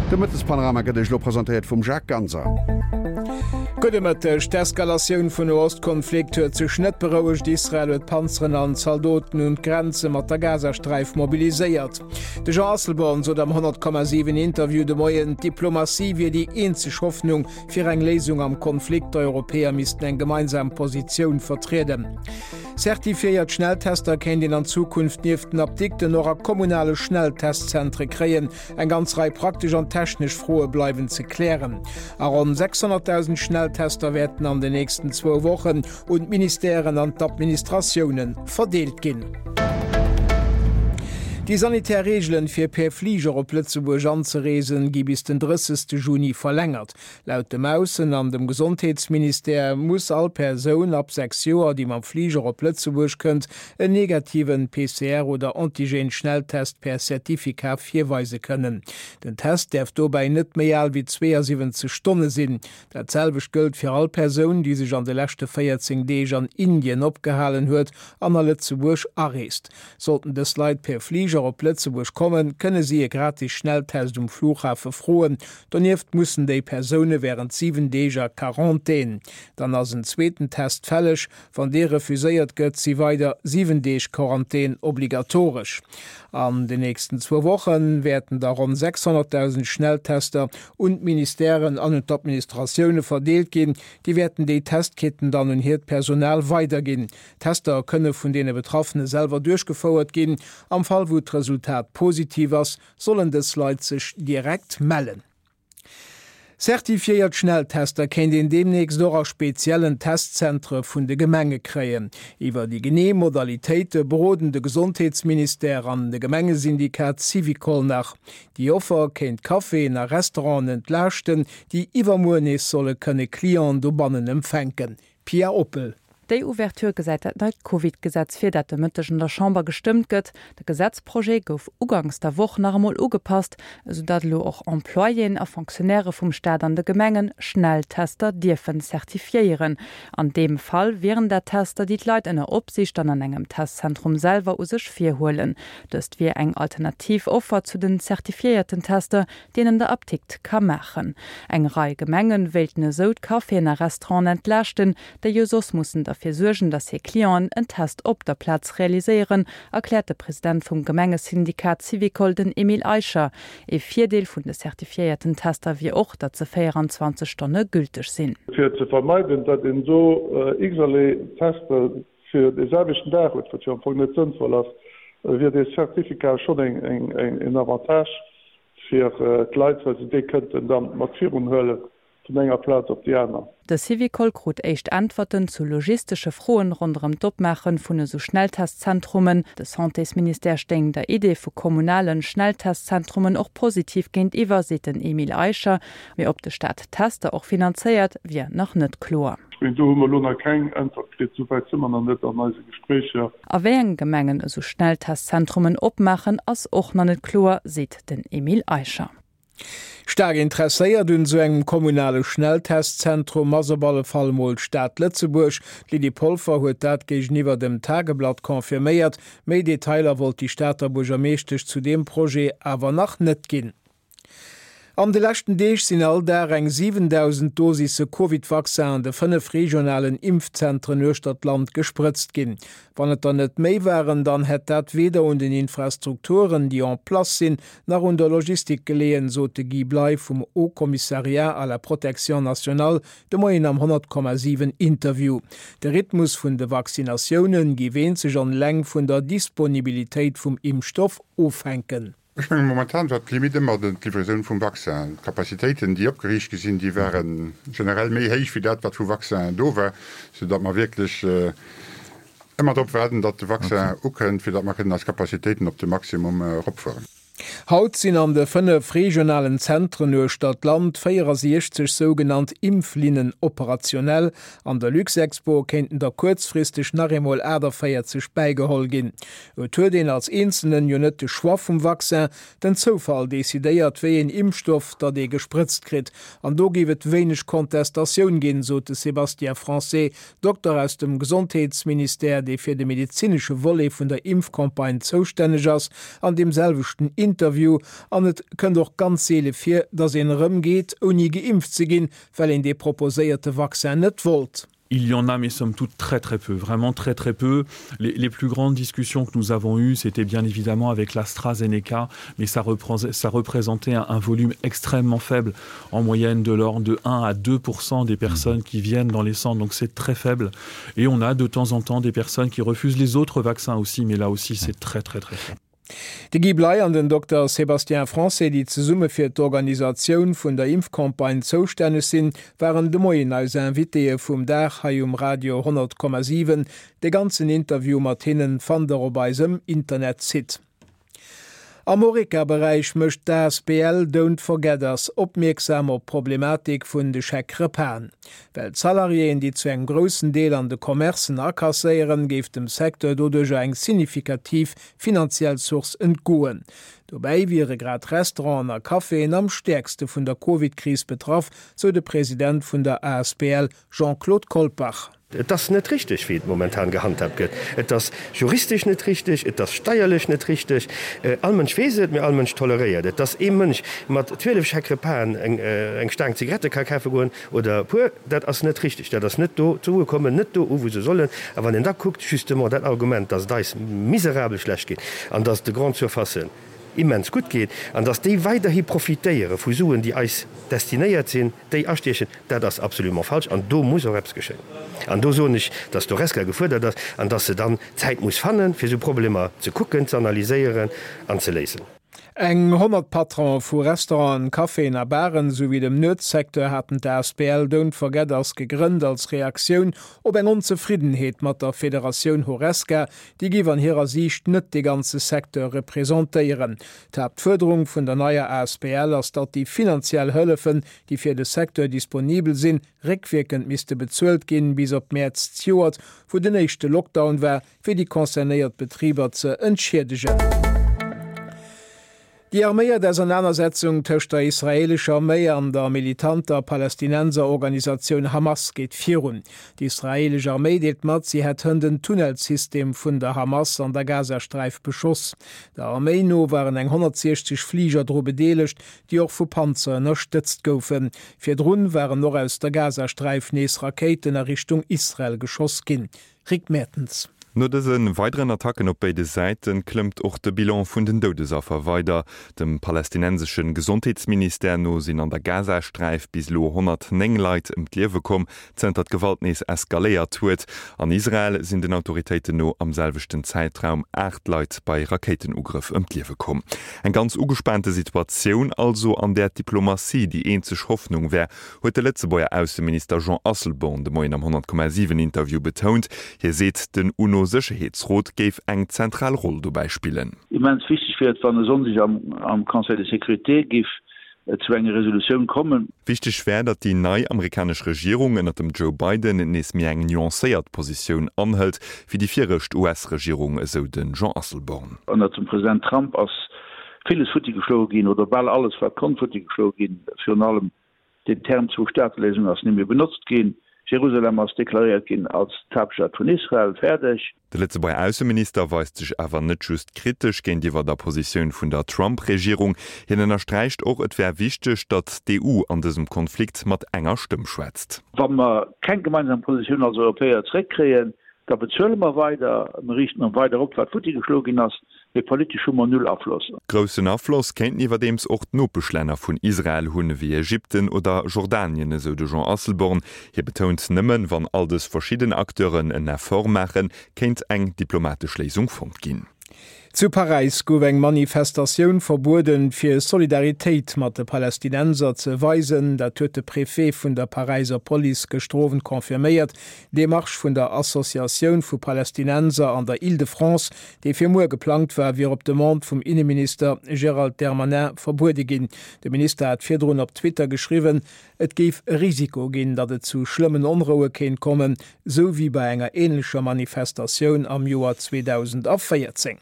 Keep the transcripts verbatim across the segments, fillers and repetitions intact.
De Mëttespanorama gëtt Iech elo presentéiert vum Jacques Ganser. Gudde Mëtteg. D'Eskalatioun vun Noostkonflikt huet sech net berouegt. Israel huet Panzeren an Zaldoten un d'Grenze mat der Gazasträif mobiliséiert. De Jean Asselborn sot am honnert Komma siwen Interview de Moien, d'Diplomatie wier déi eenzeg Hoffnung fir eng Léisung am Konflikt. D'Europäer missten eng gemeinsam Positioun vertrieden. Zertifiéiert Schnelltester kéint een an Zukunft nieft den Apdikten och a kommunale Schnelltestzentre kréien. Eng ganz Rei praktesch an technesch Froe bleiwen ze klären. A ronn sechshonnertdausend Schnelltester wäerten an den nächsten zwou Wochen un d'Ministèren an d'Administratioune verdeelt ginn. Déi sanitär Reegelen, fir per Fliger op Lëtzebuerg anzereesen, gi bis den drëssegste Juni verlängert. Laut dem Aussen an dem Gesondheetsministère muss all Persoun ab sechs Joer, déi mam Fliger op Lëtzebuerg kënnt, en negativen P C R oder Antigen-Schnelltest per Certificat virweise kënnen. Den Test däerf dobäi net méi al wéi zweeënsiwwenzeg Stonne sinn. Dat selwecht gëllt fir all Persoun, déi sech an de leschte véierzéng Deeg an Indien opgehalen huet an a Lëtzebuerg areest. Sollten dës Leit per Fliger op Lëtzebuerg kommen, kënne si e gratis Schnelltest um Flughafe froen. Donieft mussen déi Persoune wärend siwen Deeg a Quarantän. Dann ass en zweeten Test fälleg. Wann dee refuséiert gëtt, si weider siwen Deeg Quarantän obligatoresch. An den nächsten zwou Woche wäerten da ronn sechshonnertdausend Schnelltester un d'Ministèren an un d'Administratioune verdeelt ginn. Déi wäerten déi Testkitten dann un hiert Personal weiderginn. D'Tester kënne vun deene Betraffene selwer duerchgefouert ginn. Am Fall wou d'Resultat positiv ass, sollen dës Leit sech direkt mellen. Zertifiéiert Schnelltester kéint een deemnächst och a speziellen Testzentre vun de Gemenge kréien. Iwwer déi genee Modalitéite beroden de Gesondheetsministère an de Gemengesyndikat Syvicol nach. Déi Offer kéint Caféen a Restauranten entlaaschten, déi iwwermuer nees solle kënne Clienten dobannen empfänken. Pia Oppel. Déi Ouverture gesäit dat neit Covid-Gesetz vir, dat de Mëtteg an der Chamber gestëmmt gëtt. De Gesetzprojet gouf uganks der Woch nach emol ugepasst, esou datt elo och Employéen a Fonctionnairë vum Staat an de Gemengen Schnelltester dierfen zertifiéieren. An deem Fall wieren dat Tester, déi d'Leit ënner Opsiicht dann an engem Testzentrum selwer u sech virhuelen. Dëst wier eng alternativ Offer zu den zertifiéierten Tester, déi een an der Apdikt ka maachen. Eng Rei Gemengen wéilten esou d'Caféen a Restauranten entlaaschten, déi jo soss mussen derfir suergen, datt hir Clienten en Test op der Plaz realiséieren, erkläert de President vum Gemengesyndikat Syvicol, den Emile Eicher. Ee Virdeel vun de zertifiéierten Tester wier och, datt se véieranzwanzeg Stonne gülteg sinn. Fir ze vermeiden, datt een do x-erlee Tester fir dee selwechten Dag huet, wat jo am Fong net sënnvoll ass, wier dee Certificat schonn en Avantage fir d'Leit, well se dee kënnten dann mat virun huelen vun enger Plaz op déi aner. De Syvicol krut éischt Äntwerten zu logistesche Froen ronderëm d'Opmaache vun esou Schnelltestzentrumen. De Santésministère stéing der Idee vu kommunalen Schnelltestzentrumen och positiv géintiwwer, seet den Emile Eicher. Mee ob de Staat d'Tester och finanzéiert, wier nach net kloer. Ech mengen, do hu mer elo nach keng Äntwert kritt. Esou wäit si mer nach net an eise Gespréicher. A wéi enge Gemengen esou Schnelltestzentrumen opmaachen, ass och nach net kloer, seet den Emile Eicher. Staark interesséiert un esou engem kommunale Schnelltestzentrum ass op alle Fall mol d'Stad Lëtzebuerg. D'Lydie Polfer huet dat géigeniwwer dem Tageblatt confirméiert. Méi Detailer wollt déi Stater Buergermeeschtesch zu deem Projet awer nach net ginn. An de leschten Deeg sinn all Dag eng siwendausend Dosisse Covid-Vaccin an de fënnef regionalen Impfzentren uechter d'Land gesprëtzt ginn. Wann et der net méi waren, dann hätt dat weder un den Infrastrukturen, déi en place sinn, nach un der Logistik geleeën, sot de Guy Bley vum Haut Commissariat à la protection nationale de Moien am honnert Komma siwen Interview. De Rhythmus vun de Vaccinatiounen géif eenzeg an eleng vun der Disponibilitéit vum Impfstoff ofhänken. Ech mengen, momentan war d'Limite ëmmer d'Livraison vum Vaccin. D'Capacitéiten, déi opgeriicht gi sinn, déi ware generell méi héich wéi dat, wat vu Vaccin do war, soudatt mer wierklech ëmmer drop waarden, datt de Vaccin ukënnt, fir datt mer kënnen eis Capacitéiten op de Maximum eropfueren. Haut sinn an de fënnef regionalen Zentren uechter d'Land véierasiechzeg sougenannt Impflinnen operationell. An der Luxexpo kéinten der kuerzfristeg nach eemol achtundvéierzeg bäigeholl ginn. Et huet een als Einzelnen jo net de Choix vum Vaccin, den Zoufall decidéiert, wéi een Impfstoff datt ee gesprëtzt kritt. An do géif et wéineg Kontestatioun ginn, sot de Sébastien Français, Dokter aus dem Gesondheetsministère, dee fir de medezinesche Volet vun der Impfcampagne zoustänneg ass, an deem selwechten Interview an et kënnt och ganz seele vir, datt een erëm geet, ouni geimpft ze ginn, well een dee proposéierte Vaccin net wollt. Il y en a, mais somme toute très très peu, vraiment très très peu. Les, les plus grandes discussions que nous avons eues, c'était bien évidemment avec l'AstraZeneca, mais ça, reprend, ça représentait un, un volume extrêmement faible, en moyenne de l'ordre de un à deux pour cent des personnes qui viennent dans les centres, donc c'est très faible. Et on a de temps en temps des personnes qui refusent les autres vaccins aussi, mais là aussi c'est très très très faible. De Guy Bley an den Dokter Sébastien Français, déi zesumme fir d'Organisatioun vun der Impfcampagne zoustänneg sinn, waren de Moien eis Invitéë vum Dag hei um Radio honnert Komma siwen. De ganzen Interview mat hinnen fannt der op eisem Internetsite. Am Horeca-Beräich mécht d'Asbl Don't Forget Us opmierksam op d'Problematik vun de Chèque-repasen. Well d'Salariéen, déi zu engem groussen Deel an de Commercen akasséieren, géif dem Secteur doduercher eng signifikativ finanziell Source entgoen. Dobäi wiere grad Restauranten a Caféen am stäerkste vun der Covid-Kris betraff, sou de President vun der Asbl Jean-Claude Kolpach. Et ass net richteg, wéi et momentan gehandhaabt gëtt. Et ass juristesch net richteg, et ass steierlech net richteg. All Mënsch weess et, mee all Mënsch toleréiert et. Dass ee Mënsch mat zwielef Chèque-repasen eng Staang Zigarette ka kafe goen oder e puer, dat ass net richteg. Dat ass net do d'Sue kommen net do u wou se sollen. A wann een da kuckt, justement dat Argument, dass et eis miserabel schlecht geet an dass et de Grandes Surfacen immens gutt geet an dass déi weiderhi profitéiere vu Suen, déi eis destinéiert sinn, déi astiechen, dat ass absolument falsch an do muss och eppes geschéien. An do soen ech, dass d'Horesca gefuerdert ass an dass se dann Zäit muss fannen, fir esou Problemer ze kucken, ze analyséieren an ze léisen. Eng honnert Patronen vu Restauranten, Caféen a Baren souwéi dem Nuetssecteur haten d'Asbl Don't Forget Us gegrënnt als Reaktioun op eng Onzefriddenheet mat der Federatioun Horesca, déi géif an hirer Siicht net de ganze Secteur representéieren. D'Haaptfuerderung vun der neier Asbl ass, datt déi finanziell Hëllefen, déi fir de Secteur disponibel sinn, réckwierkend misste bezuelt ginn, bis op Mäerz zejoert, wou den éischte Lockdown war, fir déi concernéiert Betriber ze entschiedegen. Déi arméiert Ausernanersetzung tëscht der israeelescher Arméi an der militanter Palästinenserorganisatioun Hamas geet virun. Déi israeelesch Arméi deelt mat, si hätt hënt en Tunnelsystem vun der Hamas an der Gazasträif beschoss. Der Arméi no waren eng honnertsiechzeg Fliger dru bedeelegt, déi och vu Panzer ënnerstëtzt goufen. Virdrun waren och aus der Gazasträif nees Rakéiten a Richtung Israel geschoss ginn. Rick Mertens. No dëse weideren Attacken op béide Säite klëmmt och de Bilan vun den Doudesaffer weider. Dem palästinensesche Gesondheetsministère no sinn an der Gazasträif bis elo honnertnéng Leit ëm d'Liewe komm, zënter d'Gewalt nees eskaléiert huet. An Israel sinn den Autoritéiten no am selwechten Zäitraum aacht Leit bei Rakéitenugrëff ëm d'Liewe komm. Eng ganz ugespaante Situatioun also, an där d'Diplomatie déi eenzeg Hoffnung wär, huet de Lëtzebuerger Ausseminister Jean Asselborn de Moien am honnert Komma siwen Interview betount. Hie seet, den UNO-Sécherheetsrot géif eng zentral Roll dobäi spillen. Immens wichteg wier et, wann e Sonndeg am Conseil de sécurité géif zu enger Resolutioun kommen. Wichteg wär, datt déi nei amerikanesch Regierung ënner dem Joe Biden nees méi eng nuancéiert Positioun anhëlt wéi déi viregt U S-Regierung, esou de Jean Asselborn. Ënner dem President Trump ass villes futti geschloe ginn, oder bal alles wat konnt futti geschloe ginn. Virun allem den Term Zwou-Staate-Léisung ass net méi benotzt ginn. Jerusalem ass deklaréiert ginn als d'Haaptstad vun Israel. Fäerdeg. De Lëtzebuerger Ausseminister weist sech awer net just kritesch géintiwwer der Positioun vun der Trump-Regierung. Hien ënnersträicht och, et wär wichteg, datt d'E U an dësem Konflikt mat enger Stëmm schwätzt. Wa mer keng gemeinsam Positioun als Europäer zeréckkréien, da bezuele mer weider, mer riichten erëm weider op, wat futti geschloe ginn ass. Mee politesch hu mer null Afloss. Groussen Afloss kéinten iwwerdeems och d'Nopeschlänner vun Israel hunn, ewéi Ägypten oder Jordanien, esou de Jean Asselborn. Hie betount, nëmmen wann all dës verschidden Acteuren en Effort maachen, kéint eng diplomatesch Léisung fonnt ginn. Zu Paräis gouf eng Manifestatioun verbueden, fir Solidaritéit mat de Palästinenser ze weisen. Dat huet de Préfet vun der Paräiser Police gëschter Owend confirméiert. Dee Marsch vun der Associatioun vu Palästinenser an der Île-de-France, dee fir muer geplangt war, wier op Demande vum Inneminister Gérald Darmanin verbuede ginn. De Minister hat virdrun op Twitter geschriwwen, et géif e Risiko ginn, datt et zu schlëmmen Onroue kéint kommen, sou wéi bei enger änlecher Manifestatioun am Joer zweedausendvéierzéng.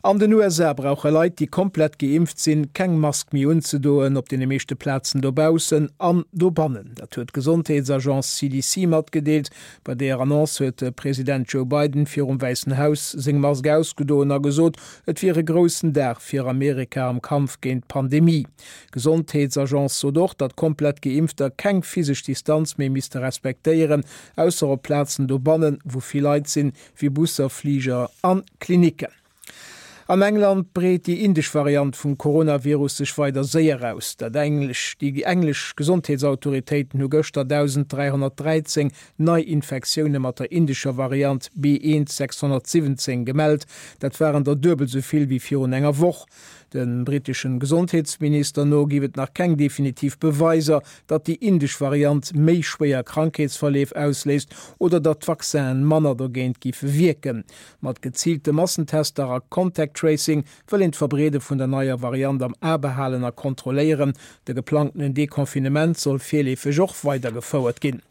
An den U S A brauche Leit, déi komplett geimpft sinn, keng Mask méi unzedoen op deene meeschte Plazen dobaussen an dobannen. Dat huet d'Gesondheetsagence C D C matgedeelt. Bei deeër Annonce huet de President Joe Biden virum Wäissen Haus seng Mask ausgedoen a gesot, et wier e groussen Dag fir Amerika am Kampf géint d'Pandemie. D'Gesondheetsagence sot och, datt komplett Geimpfter keng physesch Distanz méi misste respektéieren, ausser op Plazen dobannen, wou vill Leit sinn, wéi Busser, Fliger an Klinicken. An England breet déi indesch Variant vum Coronavirus sech weider séier aus. Dat englesch, déi englesch Gesondheetsautoritéiten hu gëschter dausend dräihonnertdräizéng Neiinfektioune mat der indescher Variant B eent sechshonnertsiwwenzéng gemellt. Dat waren der duebel sou vill wéi virun enger Woch. Dem britteschen Gesondheetsminister no giff et nach keng definitiv Beweiser, datt déi indesch Variant méi schwéier Krankheetsverleef ausléist oder datt d'Vaccinen manner dogéint giffe wierken. Mat geziilte Massentester a Contact Tracing wëll een d'Verbreede vun der neier Variant am A behalen a kontrolléieren. De geplangtenen Deconfinement soll virleefeg och weidergefouert ginn.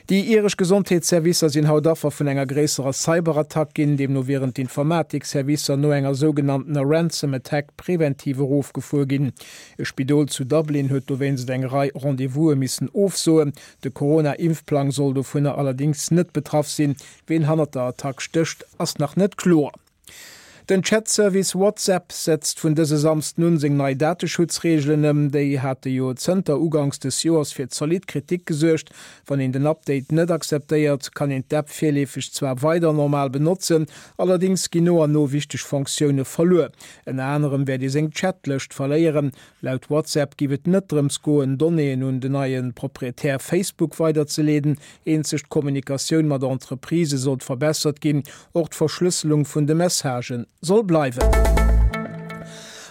Déi iresch Gesondheetsservicer sinn haut Affer vun enger gréisserer Cyberattack ginn. Deemno wieren d'Informatikservicer no enger sougenanntener Ransom Attack preventiv erofgefuer ginn. E Spidol zu Dublin huet dowéinst eng Rei Rendez-vouse missen ofsoen. De Corona-Impfplang soll dovunner allerdéngs net betraff sinn. Wien hannert der Attack stécht, ass nach net kloer. Den Chat-Service WhatsApp setzt vun dëse Samsden un seng nei Dateschutzreegelen ëm. Déi hate jo zënter uganks des Joers fir zolidd Kritik gesuergt. Wann een den Update net akzeptéiert, kann een d'App virleefeg zwar weider normal benotzen, allerdéngs ginn no an no wichteg Funktioune verluer. Ënner anerem wäert ee seng Chatlëscht verléieren. Laut WhatsApp giff et net drëms goen, Donnéeën un den neie Proprietär Facebook weiderzeleeden. Eenzeg d'Kommunikatioun mat Entreprisë sollt verbessert ginn. Och d'Verschlësselung vun de Messagen soll bleiwen.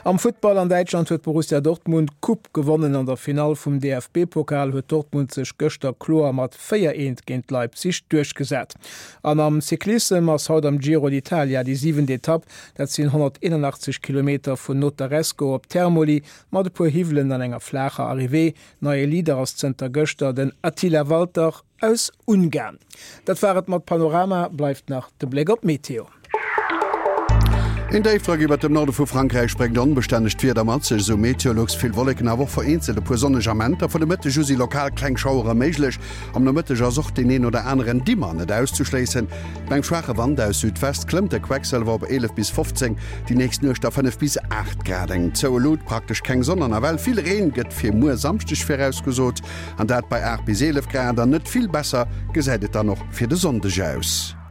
Am Futtball an Däitschland huet Borussia Dortmund d'Coupe gewonnen. An der Finall vum D F B-Pokal huet Dortmund sech gëschter kloer mat véier eent géint Leipzig duerchgesat. An am Cyclissem ass haut am Giro d'Italia déi siwent Etapp. Dat sinn honnerteenundachtzeg Kilometer vun Notaresco op Termoli mat e puer Hiwwelen an enger flaacher Arrivée. Neie Leader ass zënter gëschter den Attila Valter aus Ungarn. Dat war et mat Panorama, bleift nach de Bléck op d'Meteo. Een Déifdrock iwwer dem Norde vu Frankräich bréngt onbestännegt Wieder mat sech, esou Meteolux. Vill Wolleken, awer och vereenzelt e puer sonneg Amenter. Vun de Mëtteg u si lokal kleng Schauere méiglech. Am Nomëtteg ass och deen een oder aneren Dimmer net auszeschléissen. Bei engem schwaache Wand aus Südwest klëmmt de Quecksëlwer op eelef bis fofzéng, déi nächst Nuecht da fënnef bis aacht Grad. Eng zoue Lut, praktesch keng Sonn an nawell vill Reen gëtt fir muer Samschdeg virausgesot, an dat bei aacht bis eelef Grad. An net vill besser gesäit et dann och fir de Sonndeg aus.